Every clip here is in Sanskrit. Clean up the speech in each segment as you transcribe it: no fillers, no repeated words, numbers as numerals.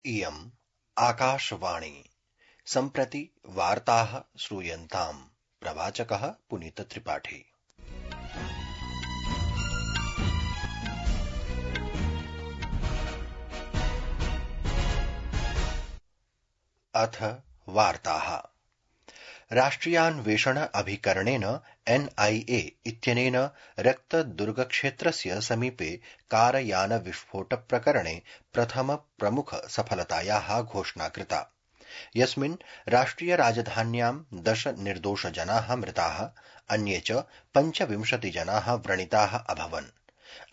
इयम् आकाशवाणी। सम्प्रति वार्ताः श्रूयन्ताम्। प्रवाचकः पुनीतत्रिपाठी। अथ वार्ताः। राष्ट्रियान्वेषण अभिकरणेन NIA इत्यनेन रक्तदुर्गक्षेत्रस्य समीपे कारयानविस्फोटप्रकरणे प्रथम प्रमुख सफलतायाः घोषणा कृता, यस्मिन् राष्ट्रियराजधान्यां 10 निर्दोषजनाः मृताः, अन्ये च 25 जनाः व्रणिताः अभवन्।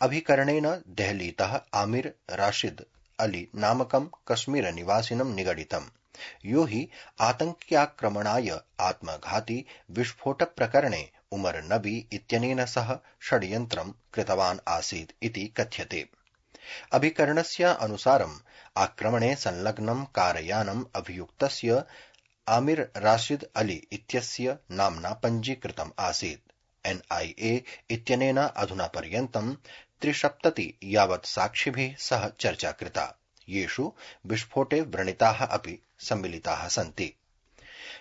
अभिकरणेन देहलीतः आमिर राशिद अली नामकं कश्मीरनिवासिनं निगडितम्, यो हि आतङ्क्याक्रमणाय आत्मघाती विस्फोटप्रकरणे उमर नबी इत्यनेन सह षड्यन्त्रं कृतवान् आसीत् इति कथ्यते। अभिकरणस्य अनुसारम् आक्रमणे संलग्नं कारयानम् अभियुक्तस्य आमिर राशिद अली इत्यस्य नाम्ना पञ्जीकृतम् आसीत्। NIA इत्यनेन अधुना पर्यन्तं 73 यावत् साक्षिभिः सह चर्चा कृता, येषु विस्फोटे व्रणिताः अपि सम्मिलिताः सन्ति।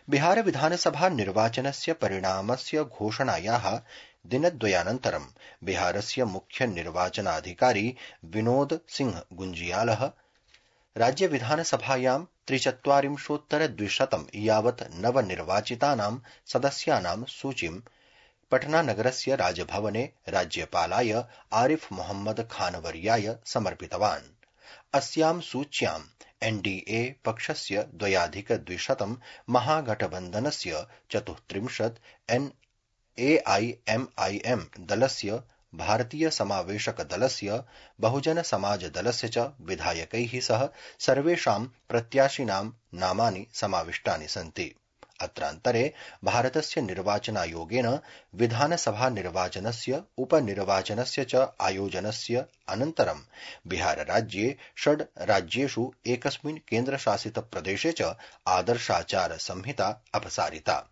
बिहार विधानसभा निर्वाचनस्य परिणामस्य घोषणायाः दिनद्वयानन्तरं बिहारस्य मुख्य निर्वाचनाधिकारी विनोद सिंह गुंजियालः राज्य विधानसभायां 43,200 यावत् नवनिर्वाचितानां सदस्यानां सूचीं पटनानगरस्य राजभवने राज्यपालाय आरिफ मोहम्मद खानवर्याय समर्पितवान्। अस्यां सूच्यां NDA पक्षस्य 2,200, महागठबन्धनस्य 34, AIMIM दलस्य, भारतीय समावेशक दलस्य, बहुजन समाज दलस्य च विधायकैः सह सर्वेषां प्रत्याशिनां नामानि समाविष्टानि सन्ति। अत्रान्तरे भारतस्य निर्वाचनायोगेन विधानसभा निर्वाचनस्य उपनिर्वाचनस्य च आयोजनस्य अनन्तरं बिहारराज्ये 6 राज्येषु एकस्मिन् केन्द्रशासितप्रदेशे च आदर्शाचार संहिता अपसारिता।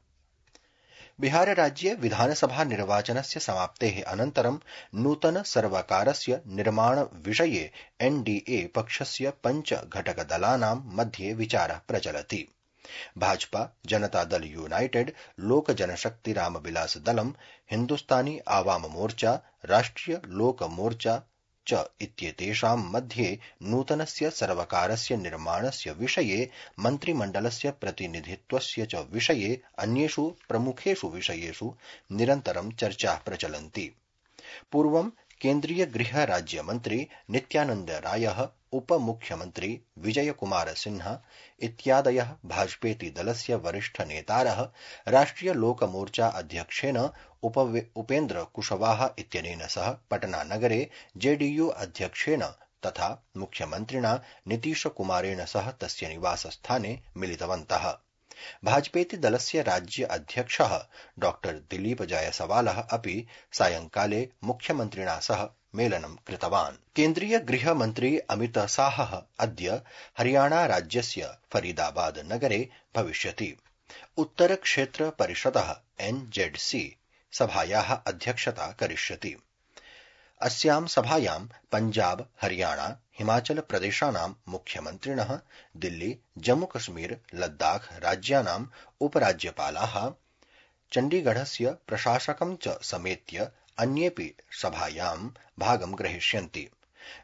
बिहारराज्ये विधानसभा निर्वाचनस्य समाप्तेः अनन्तरं नूतन सर्वकारस्य निर्माण विषये NDA पक्षस्य 5 घटकदलानां मध्ये विचारः प्रचलति। भाजपा, जनता दल यूनाइटेड, लोक जनशक्ति रामविलास दलम, हिन्दुस्तानी आवाम मोर्चा, राष्ट्रिय लोक मोर्चा च इत्येतेषां मध्ये नूतनस्य सर्वकारस्य निर्माणस्य विषये, मन्त्रिमण्डलस्य प्रतिनिधित्वस्य च विषये, अन्येषु प्रमुखेषु विषयेषु निरन्तरं चर्चाः प्रचलन्ति। पूर्वं केन्द्रीय गृह राज्यमन्त्री नित्यानन्द रायः, उपमुख्यमन्त्री विजय कुमार सिन्हा इत्यादयः भाजपेति दलस्य वरिष्ठ नेतारः राष्ट्रिय लोक मोर्चा अध्यक्षेन उपेन्द्र कुशवाहा इत्यनेन सह पटनानगरे JDU अध्यक्षेन तथा मुख्यमन्त्रिणा नीतीश कुमारेण सह तस्य निवासस्थाने मिलितवन्तः। भाजपेति दलस्य राज्य अध्यक्षः डॉ दिलीप जायसवालः अपि सायंकाले मुख्यमन्त्रिणा सह मेलनं कृतवान्। केन्द्रीय गृहमन्त्री अमित शाहः अद्य हरियाणा राज्यस्य फरीदाबाद नगरे भविष्यति। उत्तर क्षेत्र परिषदः NZC सभायाः अध्यक्षता करिष्यति। अस्यां सभायां पञ्जाब, हरियाणा, हिमाचल प्रदेशानां मुख्यमन्त्रिणः, दिल्ली, जम्मू कश्मीर, लद्दाख राज्यानाम् उपराज्यपालाः, चण्डीगढस्य प्रशासकं च समेत्य अन्येऽपि सभायां भागं ग्रहीष्यन्ति।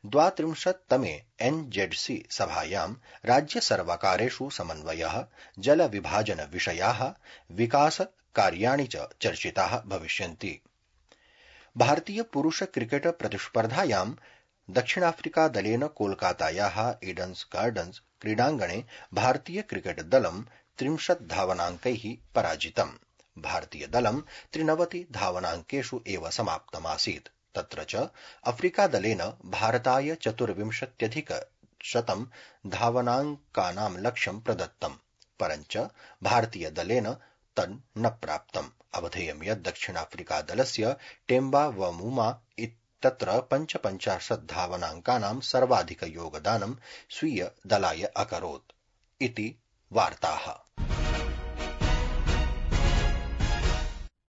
32तमे NZC सभायां राज्य सर्वकारेषु समन्वयः, जल विभाजन विषयाः, विकास कार्याणि च चर्चिताः भविष्यन्ति। भारतीय पुरुष क्रिकेट प्रतिस्पर्धायां दक्षिणाफ्रिका दलेन कोलकातायाः ईडन्स गार्डन्स क्रीडाङ्गणे भारतीय क्रिकेट दलं 30 धावनाङ्कैः पराजितम्। भारतीय दलं 93 धावनाङ्केषु एव समाप्तमासीत्। तत्र च अफ्रीका दलेन भारताय 24,100 धावनाङ्कानां लक्ष्यं प्रदत्तम्, परञ्च भारतीय दलेन तन् न प्राप्तम्। अवधेयं यत् दक्षिणाफ्रिका दलस्य टेम्बा वमुमा तत्र 55 धावनाङ्कानां सर्वाधिक योगदानं स्वीय दलाय अकरोत् इति वार्ताः।